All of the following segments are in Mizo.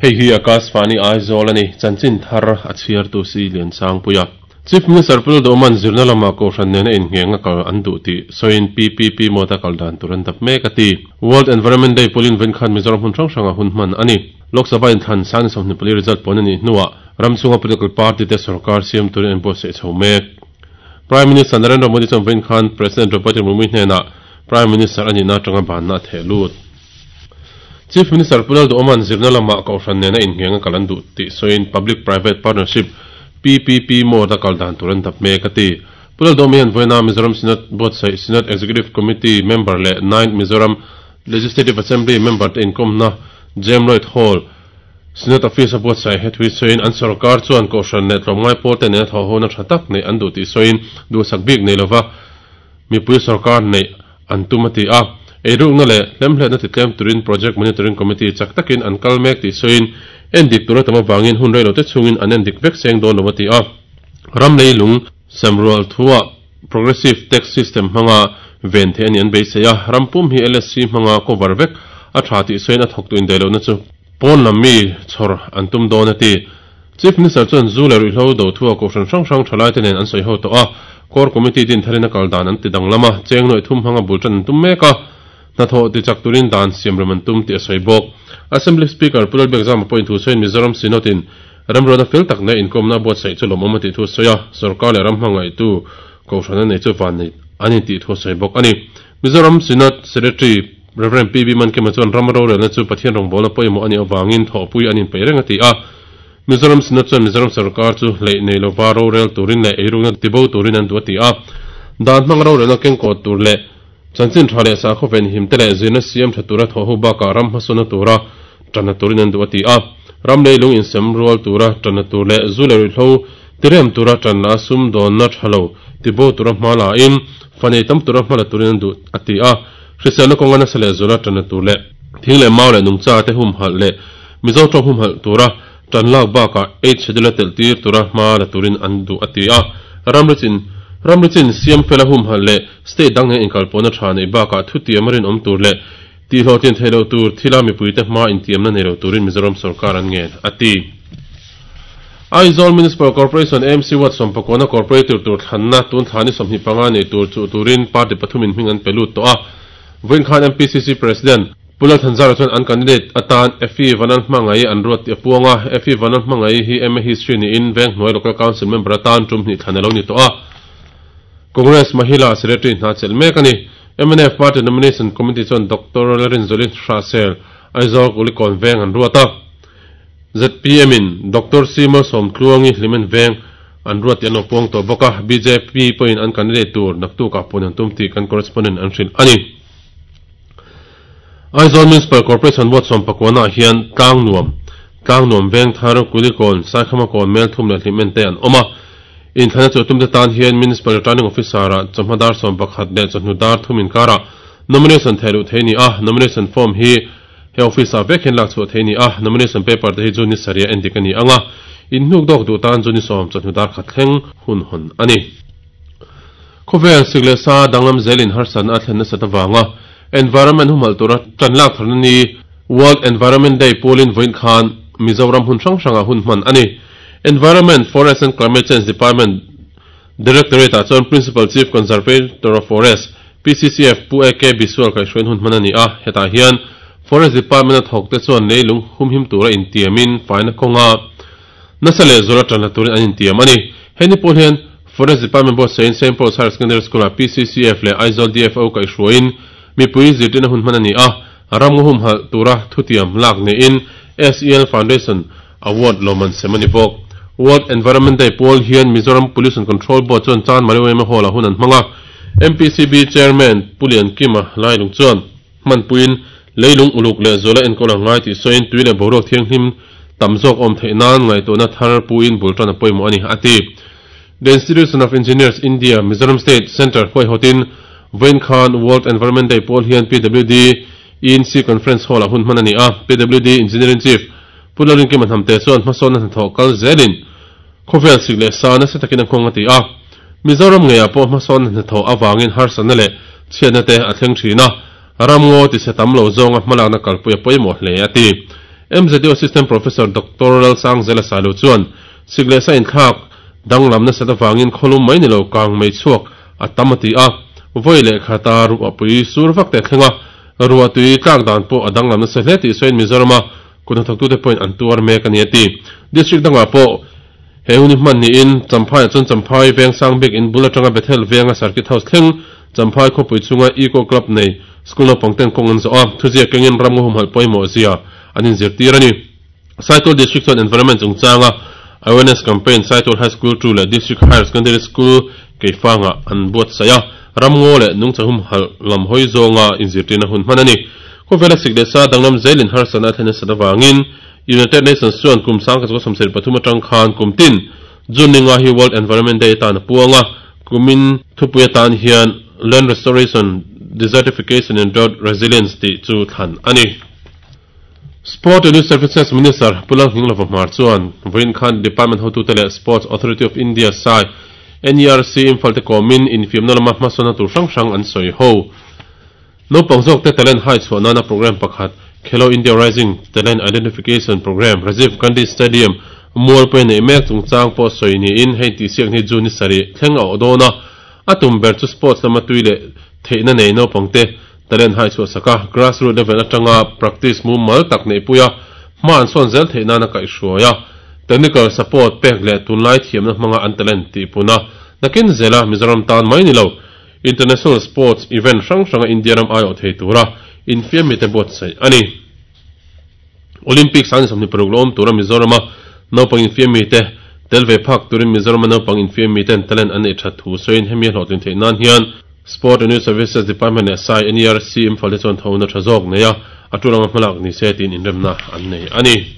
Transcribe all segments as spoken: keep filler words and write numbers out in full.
Hei hi Akashvani Aizawl ani chanchin thar a chhiar tu si lian sang puia. Chief Minister Pu Lalduhoma'n zirna lama kohhran nena innghenga kal an duh tih sawiin P P P mode-a kal dan tur an dap mek a ti. World Environment Day pualin vawiin khan Mizoram hmun hrang hranga hun hman a ni. Lok Sabha inthlan sangni sawmhnih pali result pawn a nih hnuah ram chhunga political party te sorkar siam turin an buatsaih chho mek. Prime Minister Narendra Modi chuan vawiin khan President Draupadi Murmu hnenah Prime Minister a nihna atanga banna a theh lut. Chief Minister Pu Lalduhoma'n zirna lama kohhran nena innghenga kal an duh tih sawiin Public Private Partnership P P P mode-a kal dan tur an dap mek a ti. Pu Lalduhoma hian vawiina Mizoram Synod buatsaih Synod Executive Committee member leh ninth Mizoram Legislative Assembly member te inkawmna J M Lloyd Hall, Synod Office a buatsaih he thui sawiin an sarkar chuan kohhran leh tlawmngai pawl te nena thawh hona tha tak nei an duh tih sawiin duhsak bik nei lova mipui sarkar nei an tum a ti a. Eirukna leh hlemhletna ti tlem turin Project Monitoring Committee chak takin an kal mek tih sawiin en dik tura tam awangin hun reilo te chungin an en dik vek seng dawn lo a ti a. Ram leilung semrual thuah progressive tax system hmanga ven the ani an beisei a. Rampum hi L S C hmanga cover vek a tha tih sawiin a thawk tu in dailo na chu pawn lam mi chhawr an tum dawn a ti. Chief Minister chuan zu leh ruihhlo do thua kohhran hrang hrang thalai te nen an sawi ho tawh a. Core Committee din tharin a kal dan an ti dang lama cheng noi thum hmanga bul tan an tum mek a. Hnathawh ti chak turin dan siam ram an tum tih a sawi bawk. Assembly Speaker Pu Lalbiakzama pawhin thu sawiin Mizoram Synod in remruatna fel tak nei inkawmna buatsaih chu lawmawm a tih thu sawi a. Sarkar leh ram hmangaih tu kohhran a nei chu van nei an in tih thu sawi bawk ani. Mizoram Synod Secretary Reverend P B Mankema chuan ram rorelna chu Pathian rawngbawlna pawimawh ani awangin thawhpui an inpeih reng a ti a. Mizoram Synod chuan Mizoram sarkar chu hlei nei lova rorel turin leh eirukna tibo turin an duh a ti a. Dan hmang rorelna kengkawt tur leh chanchin tha leh sakhaw ven him te leh zirna siam tha tura thawh ho bakah ram hmasawna tura tanna turin an duh a ti a. Ram leilung insem rual tura tanna tur leh zu leh ruihhlo tirem tura tanna sum dawnna thalo tibo tura hma in fanei tam tura hmala turin an duh a ti a. Hriselna kawnga nasa leh zula tanna tur leh thing leh mau leh nungcha te hum hal leh Mizo tawng hum hal tura tan lak bakah eight schedule tel tir tura hma la turin an duh a ti a. Ramrichin ramrichin siam fela hum hal leh state dang nen inkalpawhna tha nei bakah thu tiam rin awm tur leh ti hlawh tin theilo tur thila mipuite hma intiamna nei lo turin Mizoram sarkar an ngen a ti. Aizawl Municipal Corporation A M C Ward sawmpakawna corporator tur thlanna tun thlani sawmhnih panga nei tur chu turin party pathum in hming an pe lut tawh a. Vawiin khan M P C C President Pu Lal Thanzara chuan an candidate atan Effie Vanlalhmangaih an ruat tih a puang a. Effie Vanlalhmangaih hi M A History niin Venghnuai Local Council member atan tum hnih thlan alo ni tawh a. Congress Mahila Secretary hna chelh mek ani. M N F Party Nomination Committee chuan Doctor Lalrinzoli Hrahsel, Aizawl Kulikawn Veng an ruat a. Z P M in Doctor Sima Sawmtluangi, Hlimen Veng an ruat tih an lo puang tawh bawk a. B J P pawhin an candidate tur naktuk ah puan an tum tih kan correspondent an hrilh ani. Aizawl Municipal Corporation Ward sawmpakawna hian Tlangnuam, Tlangnuam Vengthar, Kulikawn, Saikhamakawn, Melthum leh Hlimen te an awm a. Inthlana chu tum te tan hian Municipal Returning Officer a chawhma dar sawm pakhat leh chawhnu dar thum inkara nomination theilu thei ni a. Nomination form hi he office a vek hian lak chhuah thei ni a. Nomination paper te hi chu ni saria endik ani anga. In hnuk dawk duh tan chu ni sawm chawhnu dar khat thleng hun hon ani. Khawvel sik leh sa danglam zelin harsan a thlen nasa tawanga environment humhal tura tan lak tharna ni World Environment Day pualin vawiin khan Mizoram hun hrang hranga hun hman ani. Environment, Forest and Climate Change Department Directorate ah chuan Principal Chief Conservator of Forest, P C C F, Pu A K Biswal kai hruain hun hman ani a. Hetah hian Forest Department a thawk te chuan leilung humhim tura intiamin faina kawnga nasa leh zura tanna turin an intiam ani. Heni pawh hian Forest Department boss sein Saint Paul's Higher Secondary School a P C C F leh Aizawl D F O kai hruain mipui zirtirna hun hman ani a. Ramngaw humhal tura thutiam lak niin S E L Foundation Award lawman sem ani bawk. World Environment Day pual hian Mizoram Pollution Control Board chuan Chanmari Y M A Hall a hun an hmanga. M P C B Chairman Pu Lian Kima Lailung chuan hmanpuiin leilung uluk leh zuala enkawl angai tih sawiin tui leh boruak thianghlim tam zawk awm theih nan ngaihtuahna thar puin bul tan a pawimawh ani a ti. The Institution of Engineers India Mizoram State Centre huaihawtin vawiin khan World Environment Day pual hian P W D E N C Conference Hall a hun hman ani a. P W D Engineering Chief Pu Lalrinkima Hnamte chuan hmasawnna hnathawh kal zelin khawvel sik leh sa nasa takin a nghawng a ti a. Mizoram ngeiah pawh hmasawnna hnathawh awangin harsatna leh chhiatna te a thleng thin a. Ramngaw ti se tam lo zawnga hmalakna kalpui a pawimawh hle a ti. M Z U Assistant Professor Doctor Lalsangzela Sailo chuan sik leh sa inthlak danglam nasa avangin kholum mai ni lo kang mei chhuak a tam a ti a voi leh khata ruahpui sur vak te thlenga ruahtui tlak dan pawh a danglam nasa hle tih sawiin Mizorama kutnathawktute pawhin an tuar mek a ni a ti. District dangah pawh he hun hi hman niin Champhai ah chuan Champhai veng sang bik in bul atanga Bethel venga Circuit House thleng Champhai khawpui chunga Eco Club nei school naupang ten kawng an zawh a, thuziak kengin ram ngaw humhalh pawimawh zia an inzirtir a ni. Saitual District chuan Environment chungchanga Awareness Campaign Saitual High School two leh District Higher Secondary School Keifangah an buatsaih a, ram ngaw leh nungcha humhalh lam hawi zawnga inzirtirna hun hman a ni. Khawvela sik leh sa danglam zelin harsatna a thlen nasat avangin United Nations chuan kum sangkhat chukua sawmsarih pathum atang khan kum tin June ninga hi World Environment Day atan a puang a, kumin thupui atan hian Land Restoration, Desertification and Drought Resilience tih chu thlan a ni. Sport and Youth Services Minister Pu Lalnghinglova Hmar chuan vawiin khan Department hotute leh Sports Authority of India S A I, N E R C Imphal te kawmin infiamna lama hmasawnna tur hrang hrang an sawi ho. Naupang zawkte talent hai chhuah nana program pakhat Khelo India Rising Talent Identification Programme Rajiv Gandhi Stadium mualpui neih mek chungchang pawh sawi niin hei tihsiak ni June ni sarih thleng a awh dawn a, a tum ber chu sports lama tui leh theihna nei naupangte talent hai chhuah sak a, grassroot level atanga practice mumal tak neihpui a, hma an sawn zel theih nana kaihhruai a, technical support pek leh tunlai thiamna hmanga an talent tihpun a, nakin zela Mizoram tan mai ni lo international sports event hrang hranga India ram aiawh thei tura infiam mite buatsaih a ni. Olympics an sawmhnih paruk la awm tura Mizorama naupang infiam mite tel ve phak turin Mizorama naupang infiam miten talent an neih that thu sawiin hemi a hlawhtlin theih nan hian Sport and Youth Services Department leh S A I N E R C Imphal te chuan thona tha zawk nei a, a tul anga hmalak ni se tiin inremna an nei a ni.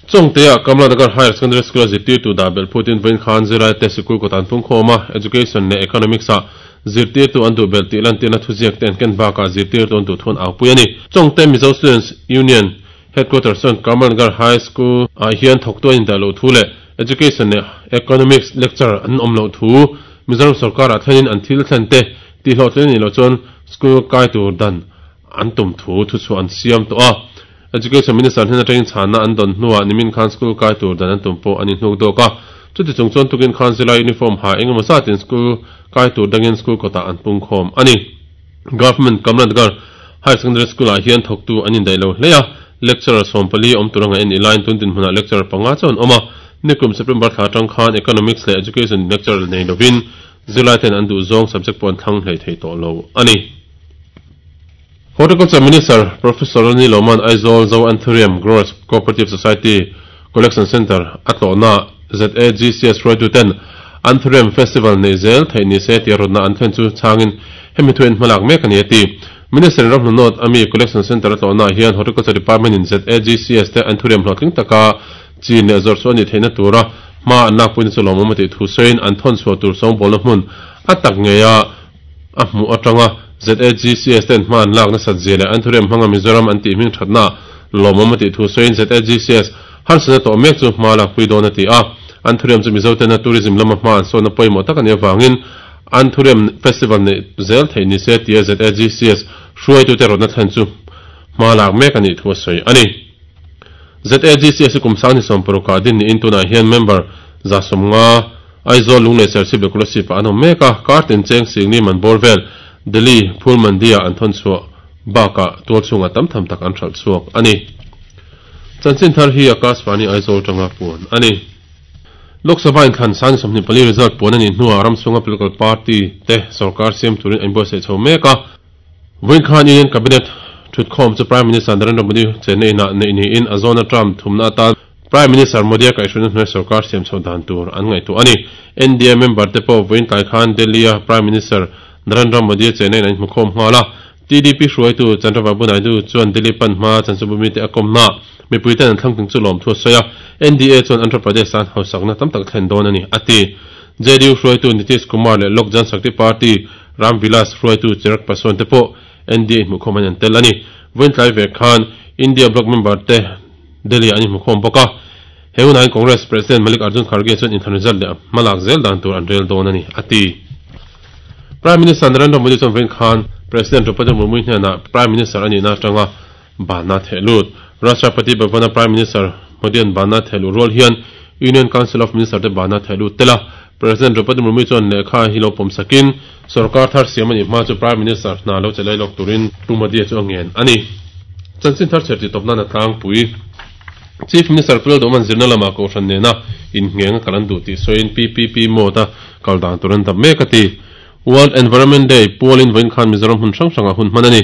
Chawngtea Kamla Nagar Higher Secondary School a zirtirtu dah belh phutin vawiin khan zirlaite sikul kawt an pungkhawm a, Education leh Economics ah zirtirtu an duh belh tih lantirna thuziak te an ken bakah zirtirtu an duh thu an aupui a ni. Chawngte Mizo Students Union Headquarters chuan Kamla Nagar High School ah hian thawktu an indah loh thu leh Education leh Economics lecturer an awm loh thu Mizoram sorkarah thlenin an thil thlen te tihhlawhtlin a nih loh chuan school kai tur dan an tum thu thuchhuah an siam tawh a. Education Minister hnen atangin chhanna an dawn hnuah nimin khan school kai tur dan an tum pawh an inhnuk dawk a. Chuti chung chuan tukin khan zilai uniform ha engemaw zatin school kai tur dangin school kawtah an pungkhawm a ni. Government Kamla Nagar Higher Secondary School ah hian thawktu an indaih lo hle a, lecturer sawm pali awm tur anga en i laiin tun dinhmunah lecturer panga chu an awm a. Nikum September thla atang khan Economics leh Education lecturer nei lovin zirlai ten an duh zawng subject pawh an thlang hlei thei tawh lo a ni. Horticulture Minister Professor Ronnie Loman Aizawl Zo Anthurium Growers Cooperative Society Collection Centre a tlawhna Z A G C S hruaituten Anthurium Festival nei zel theih ni se tia rawtna an thlen chu chhangin hemi thu en hmalak mek a ni a ti. Minister in ramhnu nawt ami Collection Centre a tlawhnaah hian Horticulture Department in Z A G C S te Anthurium hlawhtling taka chin leh zawrh chu a nih theihna tura hma an lakpuina chu lawmawm a tih thu sawiin an thawn chhuah tur sawngbawlna hmun a tak ngeia a hmuh atanga Z A G C S ten hma an lak nasat zia leh Anthurium hmanga Mizoram an tih hming thatna lawmawm a tih thu sawiin Z A G C S harsatna tawh mek chu hma lakpui dawn a ti a. Anthurium chu Mizo tena tourism lama hma an sawnna pawimawh tak a nih avangin Anthurium Festival neih zel theih ni se tia Z A G C S hruaitute rawtna thlen chu hma lak mek a nih thu a sawi a ni. Z A G C S hi kum sang ni sawm parukah din niin tunah hian member za sawmnga Aizawl Lunglei Serchhip leh Kolasib ah an awm mek a, kar tin cheng Singni man bawr vel Delhi Phul Mandi ah an thawn chhuah bakah tual chhungah tam tham tak an hralh chhuak a ni. Chanchin thar hi Akashvani Aizawl tanga puan a ni. Lok Sabha inthlan sang sawmhnih pali result puan a nih hnuah ram chhunga political party te sorkar siam turin an inbuatsaih chho mek a. Vawiin khan Union Cabinet thutkhawm chu Prime Minister Narendra Modi chenna inah neih niin a zawna term thumna atan Prime Minister Modi a kaihhruaina hnuai sorkar siam chhoh dan tur an ngaihtuah a ni. N D A member te pawh vawiin tlai khan Delhi-a Prime Minister Narendra Modi a chenna in an inhmukhawm nghal a. T D P hruaitu Chandrababu Naidu chuan Delhi pan hma chanchinbu mite a kawmna mipui ten an thlangtling chu lawmthu a sawi a. N D A chuan Andhra Pradesh tan hausakna tam tak thlen dawn a ni, a ti. J D U hruaitu Nitish Kumar leh Lok Jan Shakti Party Ram Vilas hruaitu Chirag Paswan te pawh N D A inhmuhkhawm an an tel a ni. Vawiin tlai ve khan India Bloc member te Delhi ah an inhmukhawm bawk a. He hunah hian Congress President Malik Arjun Kharge chuan inthlan result leh hma lak zel dan tur an rel dawn a ni, a ti. Prime Minister Narendra Modi chuan vawiin khan President Draupadi Murmu hnenah Prime Minister a nihna atanga banna theh lut. Rashtrapati Bhavana Prime Minister Modi-an bana thehluh rual hian Union Council of Minister te bana thehlut tel a. President Draupadi Murmu chuan lehkha hi lo pawm sakin sorkar thar siam a nih hma chu Prime Minister hna lo che lai lawk turin Pu Modi-a chu a ngen a ni. Chanchin thar chher tih tawp nan a tlangpui. Chief Minister Pu Lalduhman zirna lamah Kohhran nena inngheng a kal an duh tih sawiin P P P mode a kal dan tur an dap mek a ti. World Environment Day pualin vawiin khan Mizoram hmun hrang hrangah hun hman a ni.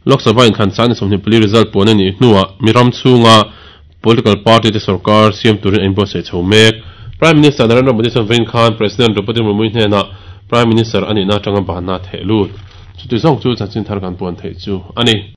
Lok Sabha inthlan san sawmhnih pali result puan a nih hnuah mi ram chhunga political party te sorkar siam turin a inbuatsaih chho mek. Prime Minister Narendra Modi chuan vawiin khan President Draupadi Murmu hnenah Prime Minister a nihna atanga banna theh lut. Chuti zawng chu chanchin thar kan puan theih chu a ni.